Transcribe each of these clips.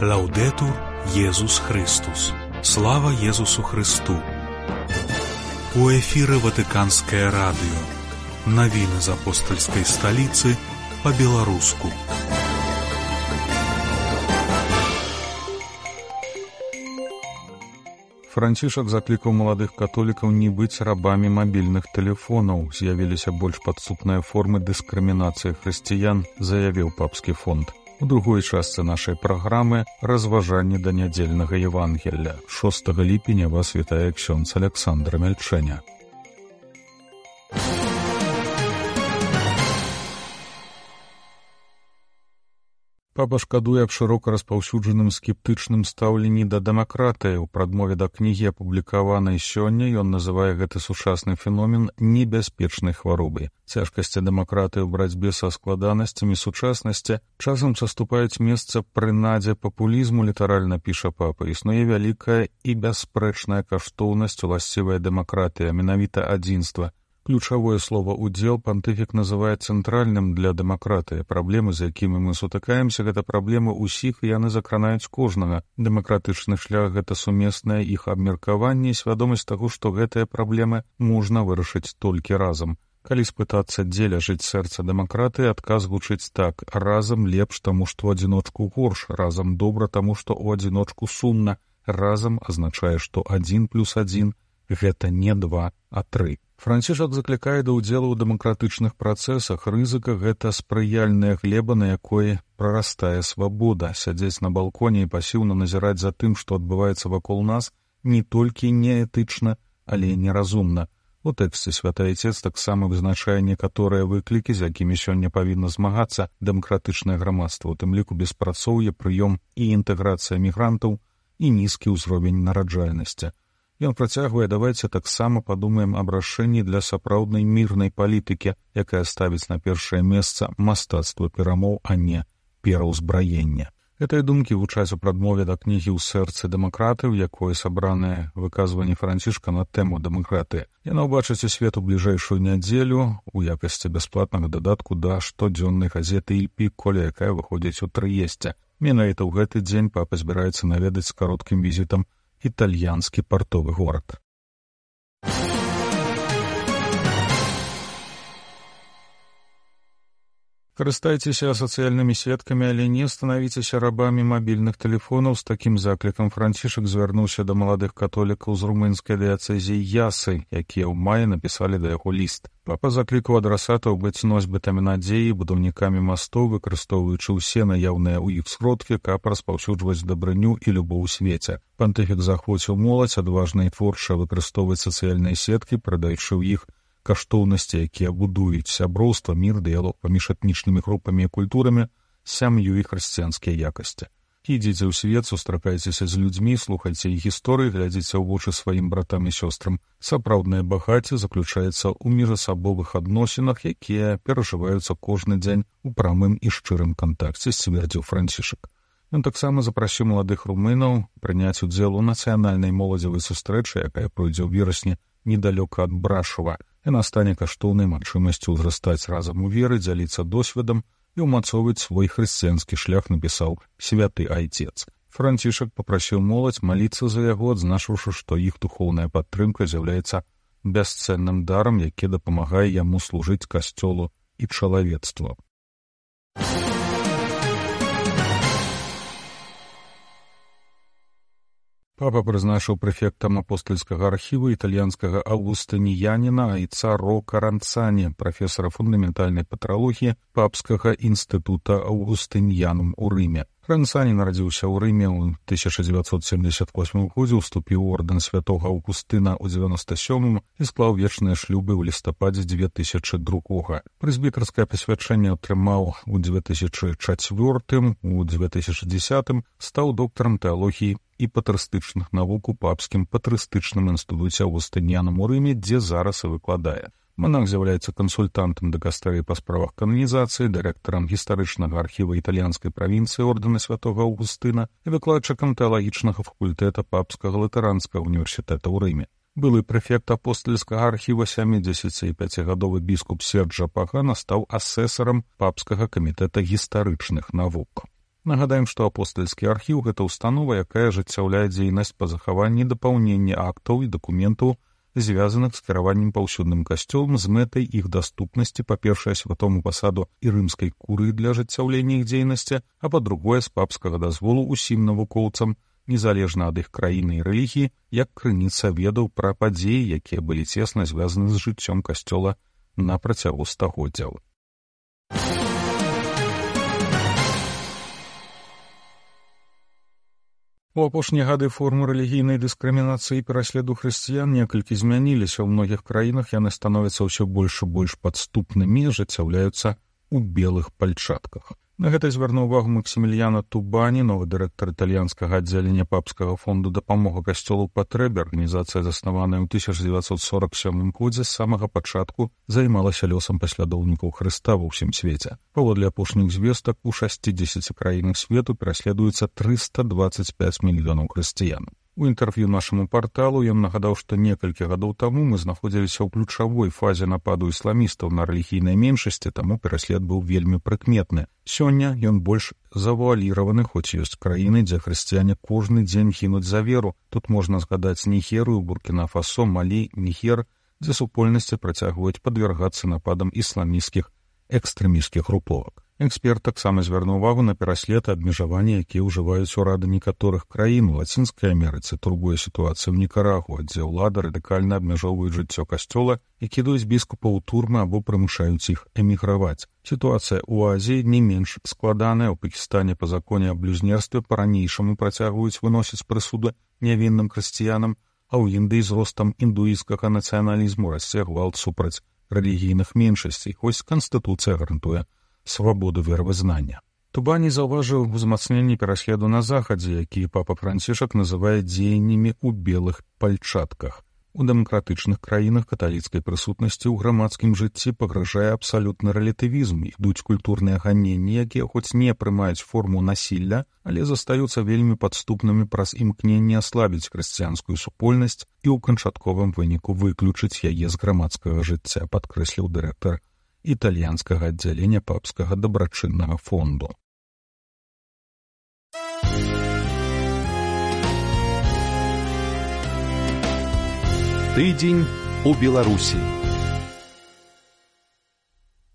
Лаўдэтур Езус Христус. Слава Езусу Христу. У эфіры Ватыканскае радыё. Навіны з апостальскай сталіцы па-беларуску. Францішак заклікаў маладых католікаў не быць рабамі мабільных тэлефонаў. З'явіліся больш падступныя формы дыскрымінацыі хрысціян, заявіў папскі фонд. У другой частцы нашай праграмы разважанні да нядзельнага Евангелля. 6 ліпеня вас вітае ксёндз Александр Мельчэня. Папа шкадуе аб шырока распаўсюджаным скептычным стаўленні да дэмакратыі. У прадмове да кнігі, апублікаванай сёння, ён называе гэты сучасны феномен небяспечнай хваробай. Цяжкасці дэмакратыі ў барацьбе са складанасцямі сучаснасці часам саступаюць месца прынадзе папулізму, літаральна піша папа. Існуе вялікая і бясспрэчная каштоўнасць уласцівая дэмакратыя, менавіта адзінства. Ключавое слово «удзел» пантыфік называе цэнтральным для дэмакратыі. Праблемы, з якімі мы сутыкаемся, гэта праблемы ўсіх, і яны закранаюць кожнага. Дэмакратычны шлях — гэта сумеснае іх абмеркаванне і свядомасць таго, што гэтыя праблемы можна вырашыць толькі разам. Калі спытацца, дзе ляжыць сэрца дэмакратыі, адказ гучыць так: разам лепш, таму што ў адзіночку горш, разам добра, таму што ў адзіночку сумна. Разам азначае, што 1+1 — гэта не 2, а 3. Францішак заклікае да ўдзелу ў дэмакратычных працэсах. Рызыка — гэта спрыяльная глеба, на якой прарастае свабода. Сядзець на балконе і пасіўна назіраць за тым, што адбываецца вакол нас, не толькі неэтычна, але і неразумна. У тэксце святы Айцец таксама вызначае некаторыя выклікі, з якімі сёння павінна змагацца дэмакратычнае грамадства, у тым ліку беспрацоўе, прыём і інтэграцыя мігрантаў і нізкі ўзровень нараджальнасці. Ён працягвае: давайце таксама падумаем аб рашэнні для сапраўднай мірнай палітыкі, якая ставіць на першае месца мастацтва перамоў, а не пераўзбраення. Гэтыя думкі гучаць у прадмове да кнігі «У сэрцы дэмакраты», у якой сабраныя выказванні Францішка на тэму дэмакратыі. Яна ўбачыць у свет у бліжэйшую нядзелю у якасці бясплатнага дадатку да штодзённай газеты «Иль Пікколе», якая выходзіць у Трыесце. Менавіта ў гэты дзень папа збіраецца наведаць з кароткім візітам італьянскі партовы горад. Карыстайцеся сацыяльнымі сеткамі, але не станавіцеся рабамі мабільных тэлефонаў. З такім заклікам Францішак звярнуўся да маладых католікаў з румынскай дыяцэзіі Ясы, якія ў маі напісалі да яго ліст. Папа заклікаў адрасатаў быць носьбітамі надзеі, будаўнікамі мастоў, выкарыстоўваючы ўсе наяўныя ў іх сродкі, каб распаўсюджваць дабрыню і любоў у свеце. Пантыфік захвоціў моладзь адважна і творча выкарыстоўваць сацыяльныя сеткі, прадаючы ў іх каштоўнасці, якія будуюць сяброўства, мір, дыялог паміж этнічнымі групамі і культурамі, сям'ю і хрысціянскія якасці. Ідзіце ў свет, сустракайцеся з людзьмі, слухайце іх гісторыі, глядзіце ў вочы сваім братам і сёстрам. Сапраўднае багацце заключаецца ў міжасабовых адносінах, якія перажываюцца кожны дзень у прамым і шчырым кантакце, сцвярдзіў Францішак. Ён таксама запрасіў маладых румынаў прыняць удзел у нацыянальнай моладзевай сустрэчы, якая пройдзе ў верасні недалёка ад Брашова. Яна стане каштоўнай магчымасцю ўзрастаць разам у веры, дзяліцца досведам і ўмацоўваць свой хрысціянскі шлях, напісаў святы Айцец. Францішак папрасіў моладзь маліцца за яго, адзначыўшы, што іх духоўная падтрымка з'яўляецца бясцэнным дарам, які дапамагае яму служыць касцёлу і чалавецтву. Папа прызначыў прэфектам апостальскага архіву італьянскага аўгустыніяніна Айца Ро Каранцані, прафесара фундаментальнай патралогіі Папскага інстытута Аўгустыньянум у Рыме. Каранцані нарадзіўся ў Рыме ў 1978 годзе, уступіў у ордэн святога Аўгустына ў 97 і склаў вечныя шлюбы ў лістападзе 2002. Прэзбітарскае пасвячэнне атрымаў у 2004, у 2010 стаў доктарам тэалогіі і патрыстычных навук у Папскім патрыстычным інстытуце Аўгустыньянум у Рыме, дзе зараз і выкладае. Манах з'яўляецца кансультантам дыкастэрыі па справах кананізацыі, дырэктарам гістарычнага архіва італьянскай правінцыі ордэна святога Аўгустына і выкладчыкам тэалагічнага факультэта Папскага латаранскага універсітэта ў Рыме. Былы прэфект апостальскага архіва 75-гадовы біскуп Серджа Пагана стаў асэсарам Папскага камітэта гістарычных навук. Нагадаем, што апостальскі архіў — гэта установа, якая ажыццяўляе дзейнасць па захаванні і дапаўненні актаў і дакументаў, звязаных з кіраваннем паўсюдным касцёлам з мэтай іх даступнасці, па-першае, святому пасаду і рымскай курыі для ажыццяўлення іх дзейнасці, а па-другое, з папскага дазволу ўсім навукоўцам, незалежна ад іх краіны і рэлігіі, як крыніца ведаў пра падзеі, якія былі цесна звязаны з жыццём касцёла на працягу стагоддзяў. У апошнія гады формы рэлігійнай дыскрымінацыі і пераследу хрысціян некалькі змяніліся. У многіх краінах яны становяцца ўсё больш і больш падступнымі, ажыццяўляюцца ў белых пальчатках. На гэта звярнуў увагу Максіміліяна Тубані, новы дырэктар італьянскага аддзялення папскага фонду дапамога касцёлу ў патрэбе. Арганізацыя, заснаваная ў 1947 годзе, з самага пачатку займалася лёсам паслядоўнікаў Хрыста ва ўсім свеце. Паводле апошніх звестак, у 60 краінах свету пераследуецца 325 мільёнаў хрысціян. У інтэрв'ю нашаму парталу ён нагадаў, што некалькі гадоў таму мы знаходзіліся ў ключавой фазе нападу ісламістаў на рэлігійныя меншасці, таму пераслед быў вельмі прыкметны. Сёння ён больш завуаліраваны, хоць ёсць краіны, дзе хрысціяне кожны дзень гінуць за веру. Тут можна згадаць Нігерыю, Буркіна-Фасо, Малі, Нігер, дзе супольнасці працягваюць падвяргацца нападам ісламісцкіх экстрэмісцкіх груповак. Эксперт таксама звярнуў увагу на пераслед і абмежаванні, якія ўжываюць урады некаторых краін. У Лацінскай Амерыцы турбуе сітуацыя ў Нікарагуа, дзе ўлады радыкальна абмяжоўваюць жыццё касцёла і кідаюць біскупаў у турмы або прымушаюць іх эміграваць. Сітуацыя ў Азіі не менш складаная. У Пакістане па законе аб блюзнерстве па-ранейшаму працягваюць выносіць прысуды нявінным хрысціянам, а ў Індыі з ростам індуісцкага нацыяналізму расце гвалт супраць рэлігійных меншасцей, хоць канстытуцыя гарантуе свабоду веравызнання. Тубані заўважыў узмацненне пераследу на захадзе, які папа Францішак называе дзеяннямі ў белых пальчатках. У дэмакратычных краінах каталіцкай прысутнасці ў грамадскім жыцці пагражае абсалютны рэлятывізм. Ідуць культурныя ганенні, якія хоць не прымаюць форму насілля, але застаюцца вельмі падступнымі праз імкненне аслабіць хрысціянскую супольнасць і ў канчатковым выніку выключыць яе з грамадскага жыцця, падкрэсліў дырэктар італьянскага аддзялення папскага дабрачыннага фонду. Тыдзень у Беларусі.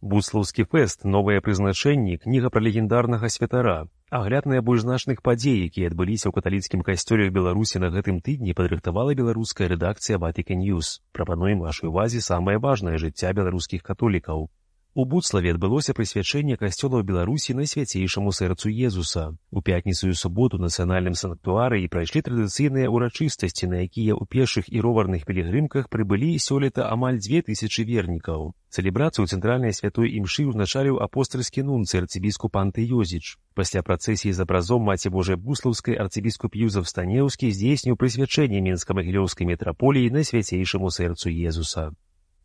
Буслаўскі фэст, новыя прызначэнні, кніга пра легендарнага святара. Агляд найбольш значных падзей, якія адбыліся ў каталіцкім касцёле ў Беларусі на гэтым тыдні, падрыхтавала беларуская рэдакцыя Vatican News. Прапануем вашай увазе самае важнае жыцця беларускіх католікаў. У Буцлаве адбылося прысвячэнне касцёла ў Беларусі Найсвяцейшаму сэрцу Езуса. У пятніцу і суботу ў нацыянальным санктуарыі прайшлі традыцыйныя ўрачыстасці, на якія ў пешых і роварных пілігрымках прыбылі сёлета амаль 2000 вернікаў. Цэлебрацыю цэнтральнай святой імшы ўзначаліў апостальскі нунцый арцыбіскуп Анты Йозіч. Пасля працэсіі з абразом Маці Божай Буслаўскай арцыбіскуп Юзаф Станеўскі здзейсніў прысвячэнне Мінска-Магілёўскай мітраполіі Найсвяцейшаму сэрцу Езуса.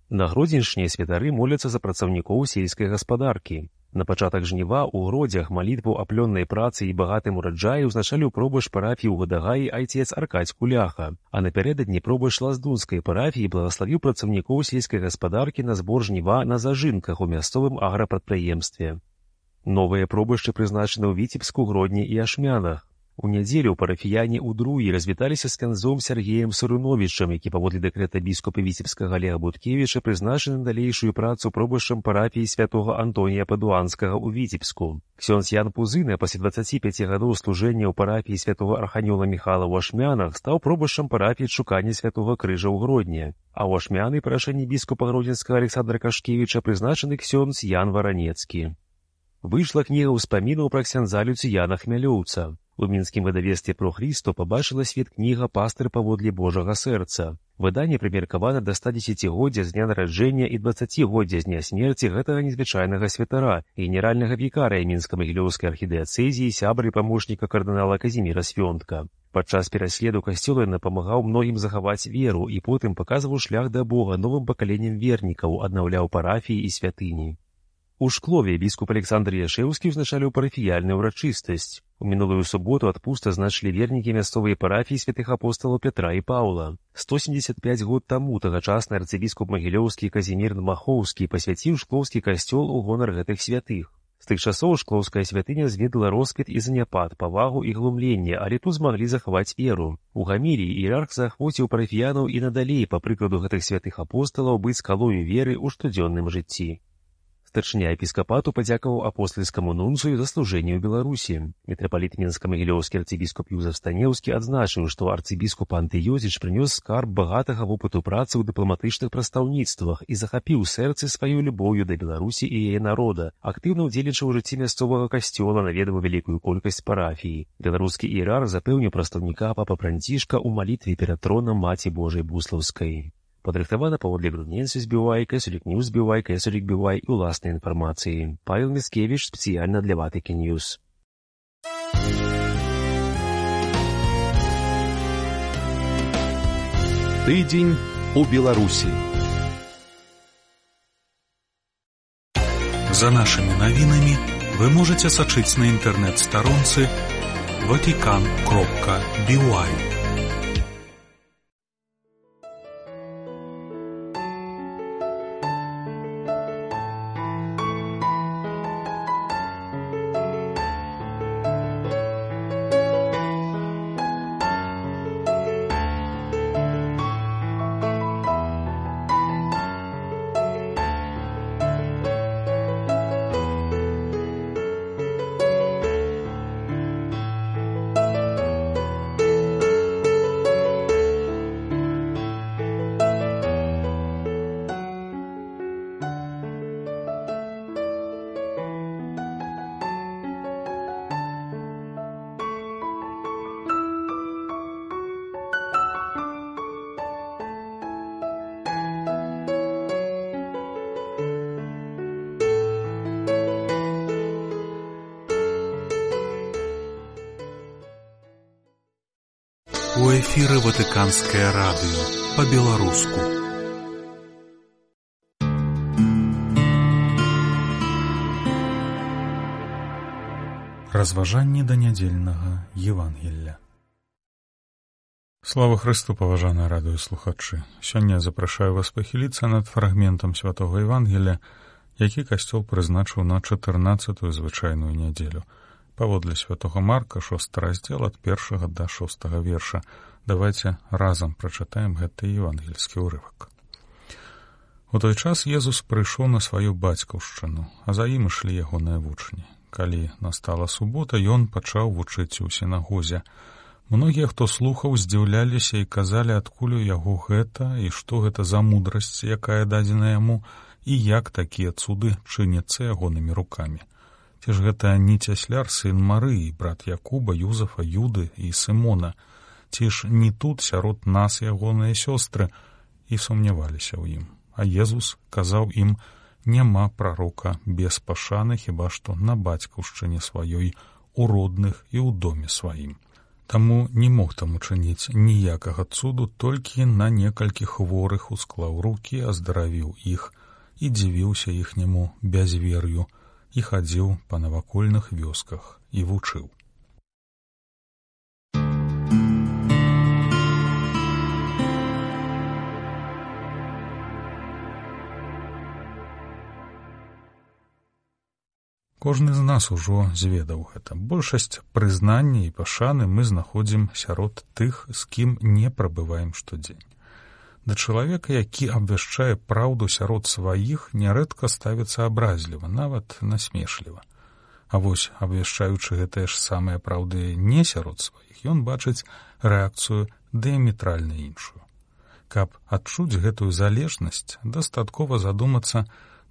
На Гродзеншне святары моляцца за працаўнікоў сельскай гаспадаркі. На пачатак жніва ў Гродзях малітву аб плённай працы і багатым ураджаі ўзначаліў пробач парафіі ў Гадагаі айцец Аркадзь Куляха, а напярэдадні пробач Лаздунскай парафіі благаславіў працаўнікоў сельскай гаспадаркі на збор жніва на зажынках у мясцовым аграпрадпрыемстве. Новыя пробачы прызначаны ў Віцебску, Гродні і Ашмянах. У нядзелю парафіяне ў Друі развіталіся з князом Сергеем Сурыновічам, які паводле дэкрэта біскупа Віцебскага Олега Буткевіча прызначаны на далейшую працу пробашчам парафіі святога Антонія Падуанскага ў Віцебску. Ксёндз Ян Пузына пасля 25 гадоў служэння ў парафіі святога Арханёла Міхала ў Ашмянах стаў пробашчам парафіі Шукання святога Крыжа ў Гродні, а ў Ашмяны па рашэнні біскупа гродзенскага Александра Кашкевіча прызначаны ксёндз Ян Варанецкі. Выйшла кніга ўспамінаў пра ксяндза Люцыяна Хмялёўца. У мінскім выдавецтве «Про Христо» пабачыла свет кніга «Пастыр паводле Божага сэрца». Выданне прымеркавана да 110-годдзя з дня нараджэння і 20-годдзя з дня смерці гэтага незвычайнага святара, генеральнага вікарыя Мінска-Магілёўскай архідыяцэзіі, сябра і памочніка кардынала Казіміра Свёнтка. Падчас пераследу касцёла ён дапамагаў многім захаваць веру і потым паказваў шлях да Бога новым пакаленням вернікаў, аднаўляў парафіі і святыні. У Шклове біскуп Александр Яшэўскі ўзначаліў парафіяльную ўрачыстасць. У мінулую суботу адпуст азначылі вернікі мясцовай парафіі святых апосталаў Петра і Паўла. 175 год таму тагачасны арцыбіскуп Магілёўскі Казімір Махоўскі пасвяціў шклоўскі касцёл у гонар гэтых святых. З тых часоў шклоўская святыня зведала росквіт і заняпад, павагу і глумленне, але тут змаглі захаваць веру. У Гамілі іерарх заахвоціў парафіянаў і надалей, па прыкладу гэтых святых апосталаў, быць скалою веры ў штодзённым жыцці. Старшыня епіскапату падзякаваў апостальскаму нунцыю за служэнне ў Беларусі. Мітрапаліт Мінска-Магілёўскі арцыбіскуп Юзеф Станеўскі адзначыў, што арцыбіскуп Антыёзіч прынёс скарб багатага вопыту працы ў дыпламатычных прадстаўніцтвах і захапіў сэрцы сваёй любоўю да Беларусі і яе народа, актыўна ўдзельнічаў у жыцці мясцовага касцёла, наведаў вялікую колькасць парафій. Беларускі іерарх запэўніў прадстаўніка папа Францішка ў малітве перад тронам Маці Божай Буслаўскай. Падрыхтавана паводле Грудненсус Бівай, Кэсулік Ньюс Бівай, Кэсулік Бівай і ўласнай інфармацыі. Павел Міцкевіч спецыяльна для Ватыкі Ньюс. Тыдзень у Беларусі. За нашымі навінамі вы можаце сачыць на інтэрнэт-старонцы vatican.by. У эфіры Ватыканскае радыё па-беларуску. Разважанні да нядзельнага Евангелля. Слава Хрысту, паважаныя радыёслухачы! Сёння запрашаю вас пахіліцца над фрагментам святога Евангелля, які касцёл прызначыў на 14-ю звычайную нядзелю. Паводле святога Марка, 6 раздзел ад 1 да 6 верша. Давайце разам прачытаем гэты евангельскі ўрывак. У той час Езус прыйшоў на сваю бацькаўшчыну, а за ім ішлі ягоныя вучні. Калі настала субота, ён пачаў вучыць у сінагозе. Многія, хто слухаў, здзіўляліся і казалі, адкуль у яго гэта і што гэта за мудрасць, якая дадзена яму, і як такія цуды чыняцца ягонымі рукамі. Ці ж гэта не цясляр, сын Марыі, брат Якуба, Юзафа, Юды і Сымона? Ці ж не тут сярод нас ягоныя сёстры? І сумняваліся ў ім. А Езус казаў ім: няма прарока без пашаны, хіба што на бацькаўшчыне сваёй, у родных і ў доме сваім. Таму не мог там учыніць ніякага цуду, толькі на некалькі хворых усклаў рукі, аздаравіў іх і дзівіўся іхняму бязвер'ю, і хадзіў па навакольных вёсках і вучыў. Кожны з нас ужо зведаў гэта. Большасць прызнання і пашаны мы знаходзім сярод тых, з кім не прабываем штодзень. Да чалавека, які абвяшчае праўду сярод сваіх, нярэдка ставіцца абразліва, нават насмешліва. А вось, абвяшчаючы гэтыя ж самыя праўды не сярод сваіх, ён бачыць рэакцыю дыяметральна іншую. Каб адчуць гэтую залежнасць, дастаткова задумацца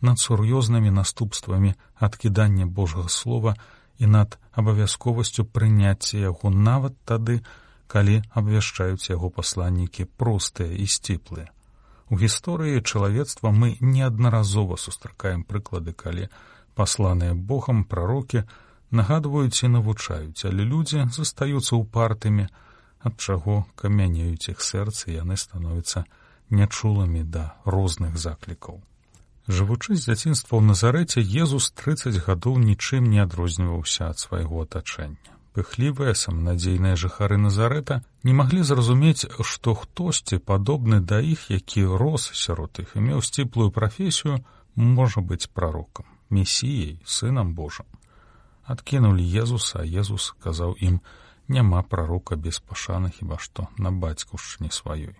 над сур'ёзнымі наступствамі адкідання Божага слова і над абавязковасцю прыняцця яго нават тады, калі абвяшчаюць яго пасланнікі простыя і сціплыя. У гісторыі чалавецтва мы неаднаразова сустракаем прыклады, калі пасланыя Богам прарокі нагадваюць і навучаюць, але людзі застаюцца ўпартымі, ад чаго камянеюць іх сэрцы, яны становяцца нячулымі да розных заклікаў. Жывучы з дзяцінства ў Назарэце, Езус 30 гадоў нічым не адрозніваўся ад свайго атачэння. Пыхлівыя, саманадзейныя жыхары Назарэта не маглі зразумець, што хтосьці, падобны да іх, які рос сярод іх і меў сціплую прафесію, можа быць прарокам. Месіяй, Сынам Божым. Адкінулі Езуса, а Езус казаў ім: няма прарока без пашаны хіба што на бацькаўшчыне сваёй.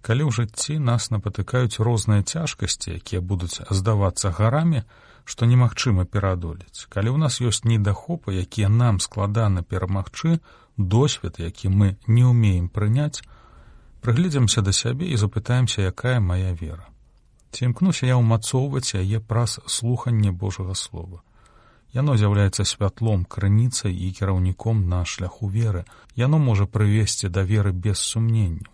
Калі ў жыцці нас напатыкаюць розныя цяжкасці, якія будуць здавацца гарамі, што немагчыма пераадолець, калі ў нас ёсць недахопы, якія нам складана перамагчы, досвед, які мы не ўмеем прыняць, прыгледзімся да сябе і запытаемся, якая мая вера. Ці імкнуся я ўмацоўваць яе праз слуханне Божага Слова. Яно з'яўляецца святлом, крыніцай і кіраўніком на шляху веры. Яно можа прывесці да веры без сумненняў.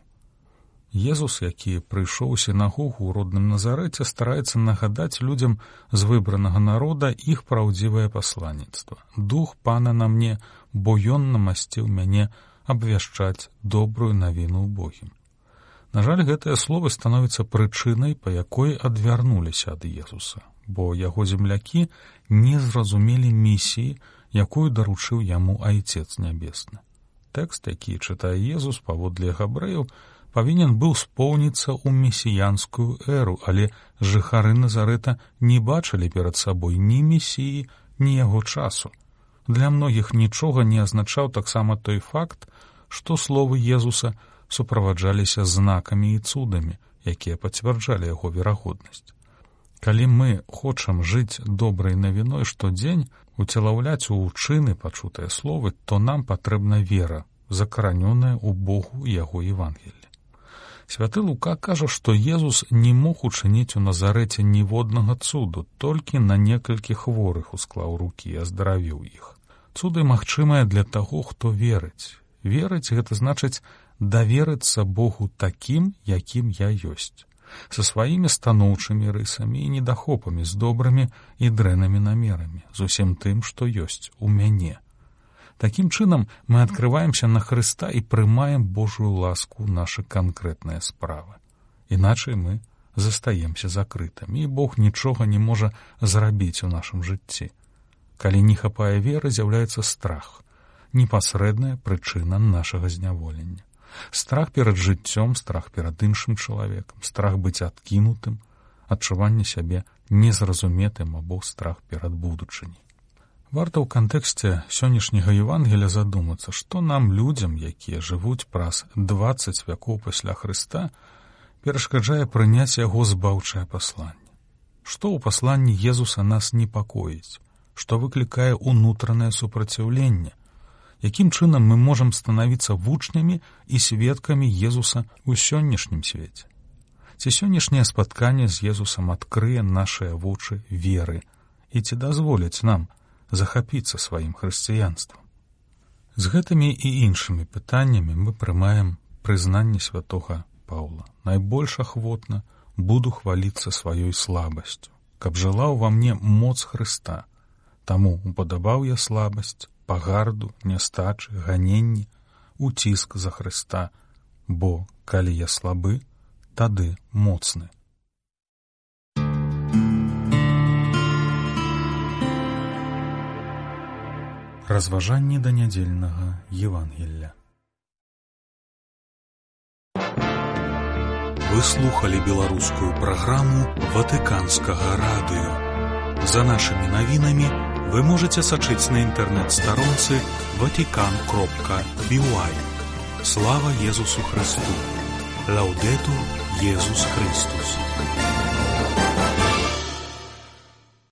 Езус, які прыйшоў у сінагогу ў родным Назарэце, стараецца нагадаць людзям з выбранага народа іх праўдзівае пасланніцтва. Дух Пана на мне, бо ён намасціў мяне абвяшчаць добрую навіну ўбогім. На жаль, гэтыя словы становяцца прычынай, па якой адвярнуліся ад Езуса, бо яго землякі не зразумелі місіі, якую даручыў яму Айцец Нябесны. Тэкст, які чытае Езус паводле габрэяў, павінен быў споўніцца ў месіянскую эру, але жыхары Назарэта не бачылі перад сабой ні месіі, ні яго часу. Для многіх нічога не азначаў таксама той факт, што словы Езуса суправаджаліся знакамі і цудамі, якія пацвярджалі яго верагоднасць. Калі мы хочам жыць добрай навіной штодзень, уцелаўляць у чыны пачутыя словы, то нам патрэбна вера, закаранёная ў Богу і яго Евангеллі. Святы Лука кажа, што Езус не мог учыніць у Назарэце ніводнага цуду, толькі на некалькі хворых усклаў рукі і аздаравіў іх. Цуды магчымыя для таго, хто верыць. Верыць — гэта значыць даверыцца Богу такім, якім я ёсць, са сваімі станоўчымі рысамі і недахопамі, з добрымі і дрэннымі намерамі, з усім тым, што ёсць у мяне. Такім чынам мы адкрываемся на Хрыста і прымаем Божую ласку ў нашы канкрэтныя справы. Іначай мы застаемся закрытымі, і Бог нічога не можа зрабіць у нашым жыцці. Калі не хапае веры, з'яўляецца страх, непасрэдная прычына нашага зняволення. Страх перад жыццём, страх перад іншым чалавекам, страх быць адкінутым, адчуванне сябе незразуметым або страх перад будучыняй. Варта ў кантэксце сённяшняга Евангелля задумацца, што нам, людзям, якія жывуць праз 20 вякоў пасля Хрыста, перашкаджае прыняць яго збаўчае пасланне. Што ў пасланні Езуса нас непакоіць? Што выклікае ўнутранае супраціўленне? Якім чынам мы можам станавіцца вучнямі і сведкамі Езуса ў сённяшнім свеце? Ці сённяшняе спатканне з Езусам адкрые нашыя вочы веры і ці дазволяць нам захапіцца сваім хрысціянствам? З гэтымі і іншымі пытаннямі мы прымаем прызнанне святога Паўла. Найбольш ахвотна буду хваліцца сваёй слабасцю, каб жыла ўва мне моц Хрыста. Таму упадабаў я слабасць, пагарду, нястачы, ганенні, уціск за Хрыста, бо калі я слабы, тады моцны. Разважанні да нядзельнага Евангелля. Вы слухали беларускую праграму Ватыканскага радыё. За нашымі навінамі вы можете сачыць на інтэрнэт-старонцы vatican.by. Слава Езусу Христу! Лаудетур Езус Христус!